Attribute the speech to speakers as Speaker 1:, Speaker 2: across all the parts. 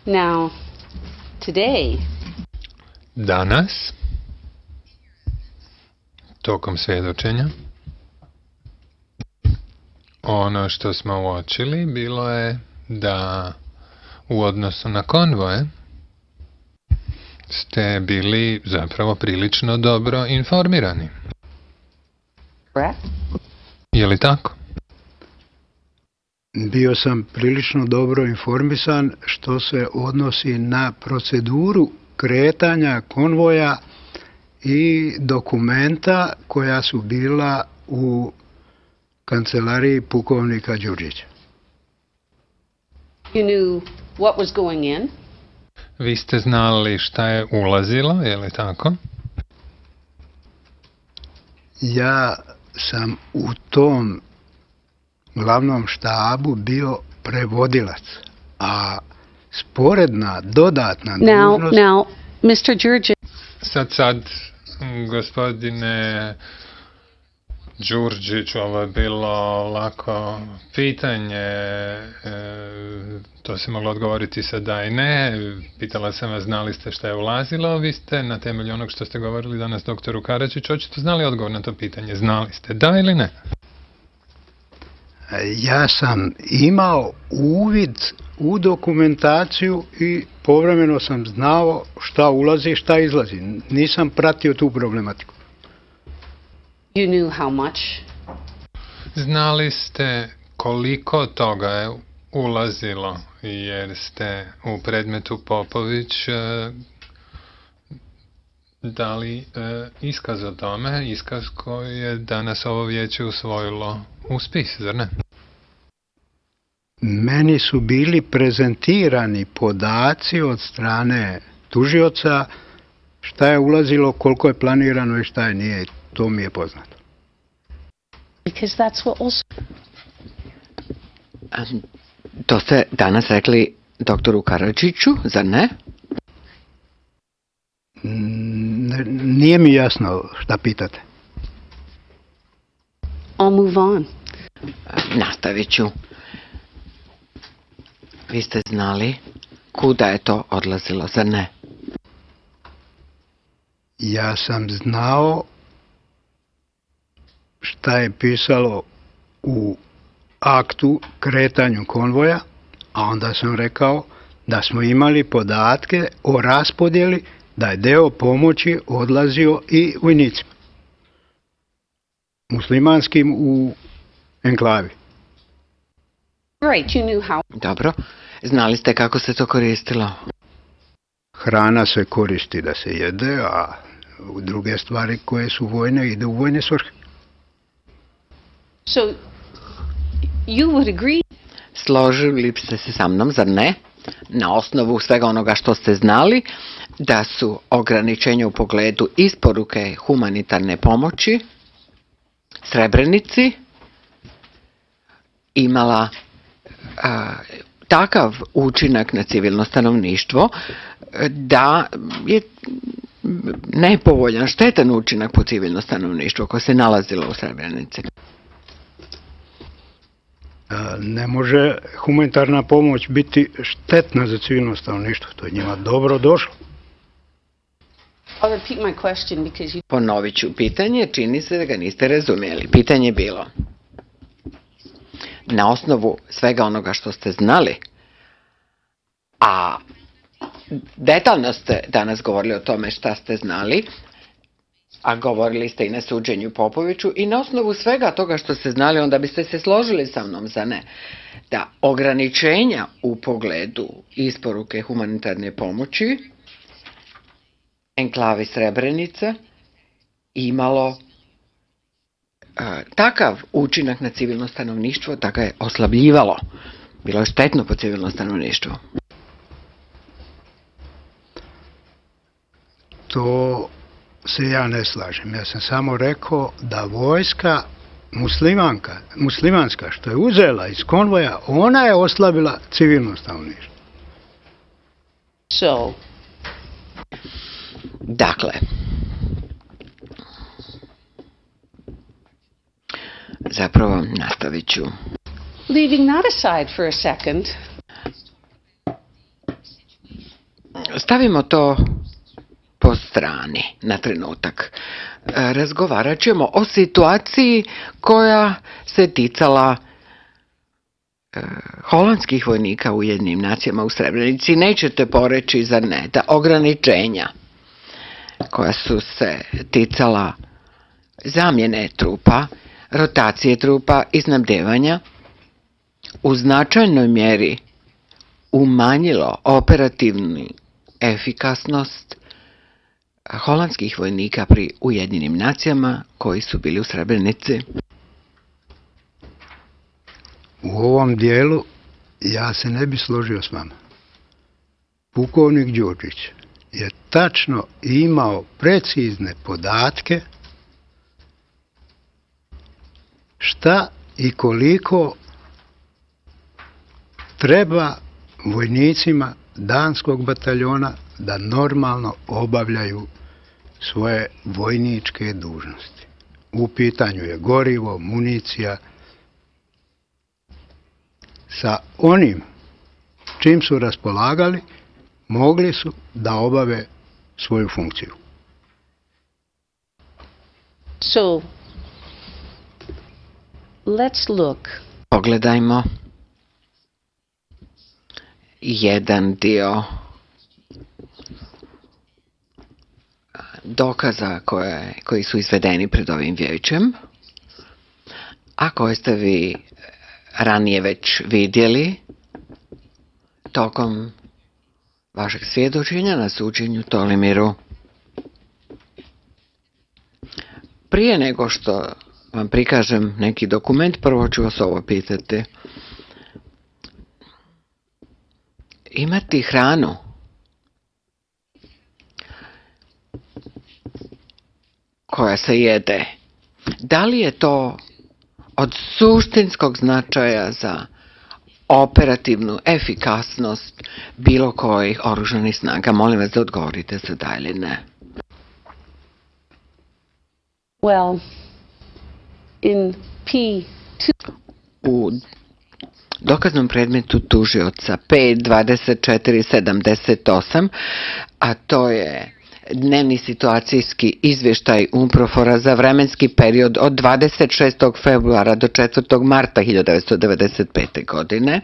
Speaker 1: Now, today,
Speaker 2: Danas, tokom svjedočenja, ono što smo uočili bilo je da u odnosu na konvoje ste bili zapravo prilično dobro informirani.
Speaker 1: correct?
Speaker 2: Je li tako?
Speaker 3: Bio sam prilično dobro informisan što se odnosi na proceduru kretanja konvoja i dokumenta koja su bila u kancelariji pukovnika Đurđića.
Speaker 1: You knew what was going in.
Speaker 2: Vi ste znali šta je ulazilo, je li tako?
Speaker 3: Ja sam u tom glavnom štabu bio prevodilac, a sporedna, dodatna dužnost...
Speaker 1: Now, Mr. Đurđić.
Speaker 2: Sad, gospodine Đurđić, ovo je bilo lako pitanje, to se moglo odgovoriti sa da i ne. Pitala sam vas, znali ste šta je ulazilo, vi ste na temelju onog što ste govorili danas doktoru Karadžiću, očito znali odgovor na to pitanje, znali ste da ili ne?
Speaker 3: Ja sam imao uvid u dokumentaciju i povremeno sam znao šta ulazi i šta izlazi. Nisam pratio tu problematiku.
Speaker 1: You knew how much.
Speaker 2: Znali ste koliko toga je ulazilo, jer ste u predmetu Popović dali iskaz o tome, iskaz koji je danas ovo vijeće usvojilo u spis, zar ne?
Speaker 3: Meni su bili prezentirani podaci od strane tužioca šta je ulazilo, koliko je planirano i šta je nije. To mi je poznato.
Speaker 1: Because that's what also...
Speaker 4: To ste danas rekli doktoru Karadžiću, zar ne?
Speaker 3: Nije mi jasno šta pitate.
Speaker 1: I'll move on.
Speaker 4: Nastavit ću. Vi ste znali kuda je to odlazilo, zar ne?
Speaker 3: Ja sam znao šta je pisalo u aktu kretanju konvoja, a onda sam rekao da smo imali podatke o raspodjeli da je deo pomoći odlazio i vojnicima. Muslimanskim u enklavi.
Speaker 1: Right, you knew how.
Speaker 4: Dobro. Znali ste kako se to koristilo?
Speaker 3: Hrana se koristi da se jede, a druge stvari koje su vojne ide u vojne svrhe.
Speaker 1: So, you would agree.
Speaker 4: Složili ste se sa mnom, zar ne? Na osnovu svega onoga što ste znali, da su ograničenja u pogledu isporuke humanitarne pomoći Srebrenici imala takav učinak na civilno stanovništvo da je nepovoljan, štetan učinak po civilno stanovništvo koje se nalazilo u Srebrenici.
Speaker 3: Ne može humanitarna pomoć biti štetna za civilno stanovništvo. To je njima dobro došlo.
Speaker 1: I'll repeat my question because you...
Speaker 4: Ponovit ću pitanje, čini se da ga niste razumjeli. Pitanje je bilo, na osnovu svega onoga što ste znali, a detaljno ste danas govorili o tome šta ste znali, a govorili ste i na suđenju Popoviću, i na osnovu svega toga što ste znali, onda biste se složili sa mnom, za ne, da ograničenja u pogledu isporuke humanitarne pomoći enklavi Srebrenica imalo takav učinak na civilno stanovništvo da ga je oslabljivalo. Bilo je štetno po civilno stanovništvo.
Speaker 3: To se ja ne slažem. Ja sam samo rekao da vojska muslimanska što je uzela iz konvoja, ona je oslabila civilno stanovništvo.
Speaker 1: So,
Speaker 4: dakle, zapravo nastavit ću.
Speaker 1: leaving that aside for a second,
Speaker 4: stavimo to po strani na trenutak. Razgovarat ćemo o situaciji koja se ticala holandskih vojnika u Ujedinjenim nacijama u Srebrenici. Nećete poreći, zar ne, da ograničenja koja su se ticala zamjene trupa, rotacije trupa i snabdevanja u značajnoj mjeri umanjilo operativnu efikasnost holandskih vojnika pri Ujedinjenim nacijama koji su bili u Srebrenici.
Speaker 3: U ovom dijelu ja se ne bi složio s vama. Pukovnik Đurđić je tačno imao precizne podatke šta i koliko treba vojnicima danskog bataljona da normalno obavljaju svoje vojničke dužnosti. U pitanju je gorivo, municija. Sa onim čim su raspolagali, mogli su da obave svoju funkciju.
Speaker 1: So, let's look.
Speaker 4: Pogledajmo jedan dio dokaza koji su izvedeni pred ovim vijećem, a koje ste vi ranije već vidjeli tokom vašeg svjedočenja na suđenju Tolimiru. Prije nego što vam prikažem neki dokument, prvo ću vas ovo pitati. Imati hranu koja se jede, da li je to od suštinskog značaja za operativnu efikasnost bilo kojih oružanih snaga? Molim vas da odgovorite za da ili ne.
Speaker 1: Well, in P2...
Speaker 4: U dokaznom predmetu tužioca P2478, a to je dnevni situacijski izvještaj UNPROFOR-a za vremenski period od 26. februara do 4. marta 1995. godine.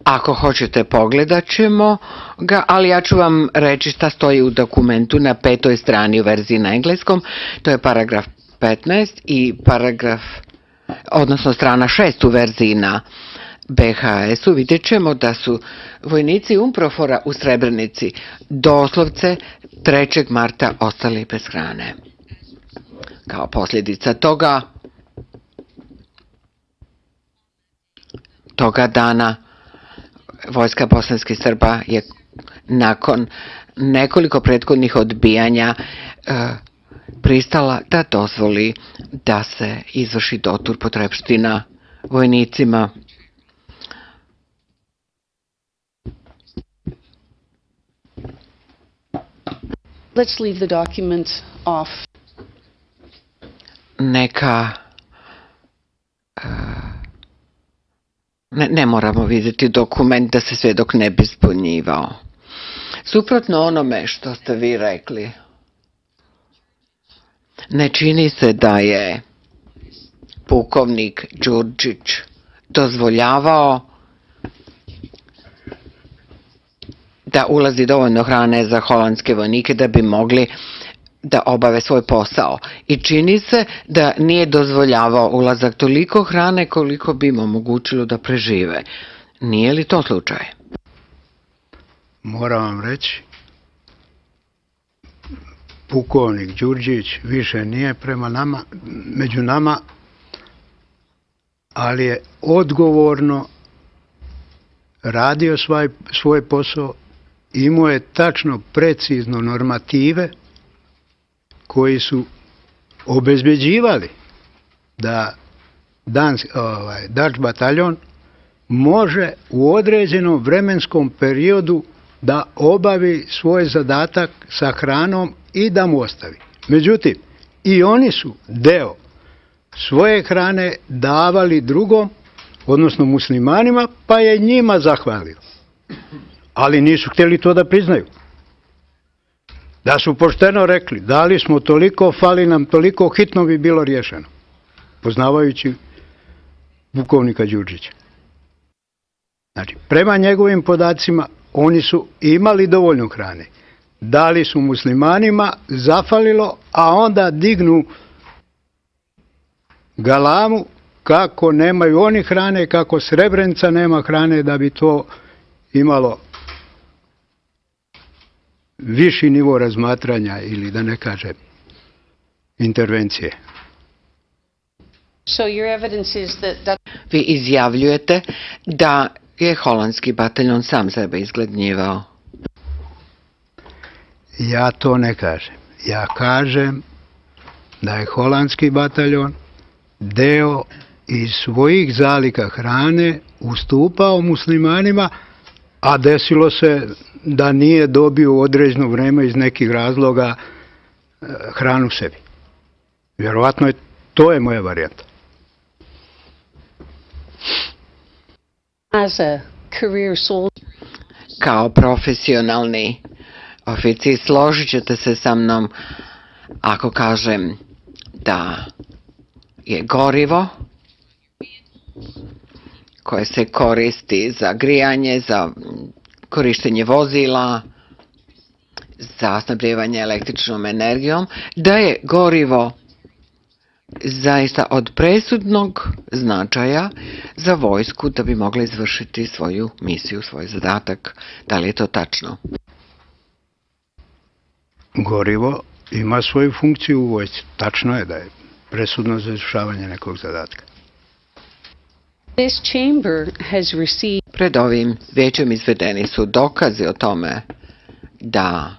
Speaker 4: Ako hoćete, pogledat ćemo ga, ali ja ću vam reći šta stoji u dokumentu na 5. strani u verziji na engleskom. To je paragraf 15 i odnosno strana 6 u verziji na BHS-u. Vidjet ćemo da su vojnici UNPROFOR-a u Srebrenici doslovce 3. marta ostali bez hrane. Kao posljedica toga dana vojska bosanskih Srba je nakon nekoliko prethodnih odbijanja pristala da dozvoli da se izvrši dotur potrepština vojnicima.
Speaker 1: Let's leave the document off.
Speaker 4: Ne moramo vidjeti dokument da se svjedok ne bi zbunjivao. Suprotno onome što ste vi rekli, ne čini se da je pukovnik Đurđić dozvoljavao da ulazi dovoljno hrane za holandske vojnike da bi mogli da obave svoj posao. I čini se da nije dozvoljavao ulazak toliko hrane koliko bi im omogućilo da prežive. Nije li to slučaj?
Speaker 3: Moram vam reći, pukovnik Đurđić više nije među nama, ali je odgovorno radio svoj posao, imao je tačno precizno normative koji su obezbeđivali da Dutch bataljon može u određenom vremenskom periodu da obavi svoj zadatak sa hranom i da mu ostavi. Međutim, i oni su deo svoje hrane davali drugom, odnosno muslimanima, pa je njima zahvalio. ali nisu htjeli to da priznaju. Da su pošteno rekli, dali smo toliko, fali nam toliko, hitno bi bilo riješeno. Poznavajući pukovnika Đurđića. Znači, prema njegovim podacima, oni su imali dovoljno hrane. Dali su muslimanima, zafalilo, a onda dignu galamu kako nemaju oni hrane, kako Srebrenica nema hrane, da bi to imalo viši nivo razmatranja ili da ne kažem intervencije.
Speaker 1: So your evidence is that
Speaker 4: Vi izjavljujete da je holandski bataljon sam sebe izgladnjivao.
Speaker 3: Ja to ne kažem. Ja kažem da je holandski bataljon deo iz svojih zaliha hrane ustupao muslimanima, a desilo se da nije dobio u određeno vreme iz nekih razloga hranu sebi. Vjerovatno to je moja varijanta.
Speaker 1: as a career soldier,
Speaker 4: Kao profesionalni oficir složit ćete se sa mnom ako kažem da je gorivo koje se koristi za grijanje, za korištenje vozila, za snabdijevanje električnom energijom, da je gorivo zaista od presudnog značaja za vojsku da bi mogla izvršiti svoju misiju, svoj zadatak. Da li je to tačno?
Speaker 3: Gorivo ima svoju funkciju u vojsci. Tačno je da je presudno za izvršavanje nekog zadatka.
Speaker 1: this chamber has received
Speaker 4: Pred ovim vijećem izvedeni su dokazi o tome da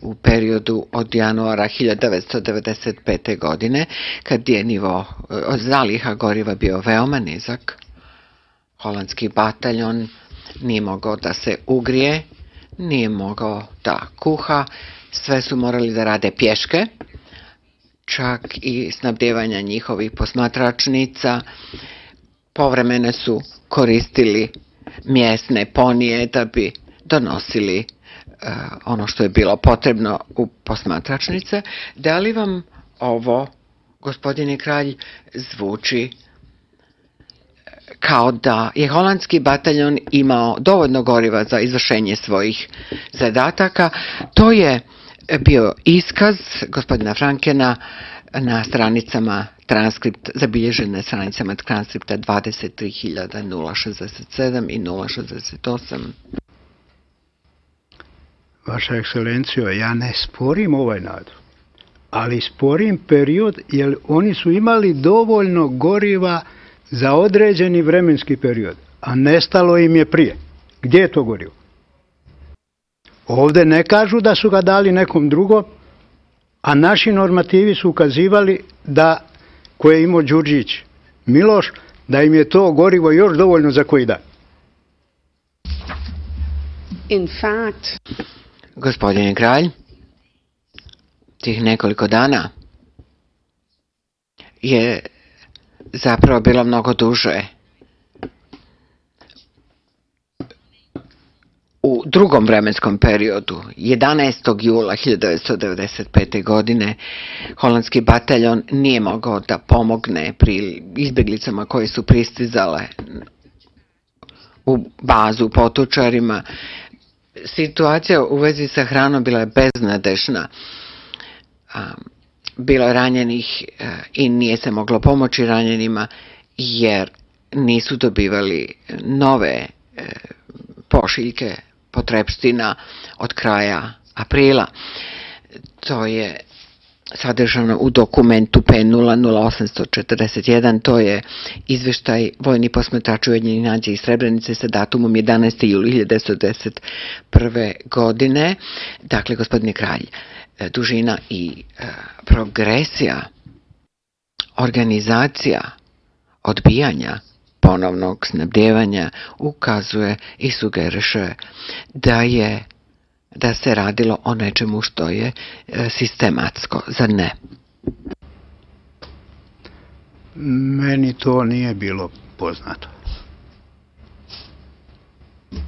Speaker 4: u periodu od januara 1995. godine, kad je nivo zaliha goriva bio veoma nizak, holandski bataljon nije mogao da se ugrije, nije mogao da kuha, sve su morali da rade pješke, čak i snabdjevanja njihovih posmatračnica. Povremeno su koristili mjesne ponije da bi donosili ono što je bilo potrebno u posmatračnice. Da li vam ovo, gospodine Kralj, zvuči kao da je holandski bataljon imao dovoljno goriva za izvršenje svojih zadataka? To je bio iskaz gospodina Frankena na stranicama transkript, zabilježen na stranicama transkripta 23.067 i 068.
Speaker 3: Vaša ekscelencijo, ja ne sporim ovaj nadzor, ali sporim period jer oni su imali dovoljno goriva za određeni vremenski period, a nestalo im je prije. Gdje je to gorivo? Ovdje ne kažu da su ga dali nekom drugom, a naši normativi su ukazivali da, koje je imao Đurđić Miloš, da im je to gorivo još dovoljno za koji dan.
Speaker 1: in fact
Speaker 4: Gospodine Kralj, tih nekoliko dana je zapravo bilo mnogo duže. U drugom vremenskom periodu, 11. jula 1995. godine, holandski bataljon nije mogao da pomogne pri izbjeglicama koje su pristizale u bazu Potočarima. Situacija u vezi sa hranom bila je beznadešna. Bilo je ranjenih i nije se moglo pomoći ranjenima jer nisu dobivali nove pošiljke potrepština od kraja aprila. To je sadržano u dokumentu P000841, to je izveštaj vojni posmatrač Ujedinjenih nacija iz Srebrenice sa datumom 11. juli 1991. godine. Dakle, gospodine Kralj, dužina i progresija, organizacija odbijanja ponovnog snabdjevanja ukazuje i sugeriše da se radilo o nečemu što je sistematsko, zar ne?
Speaker 3: Meni to nije bilo poznato.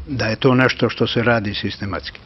Speaker 3: Da je to nešto što se radi sistematski.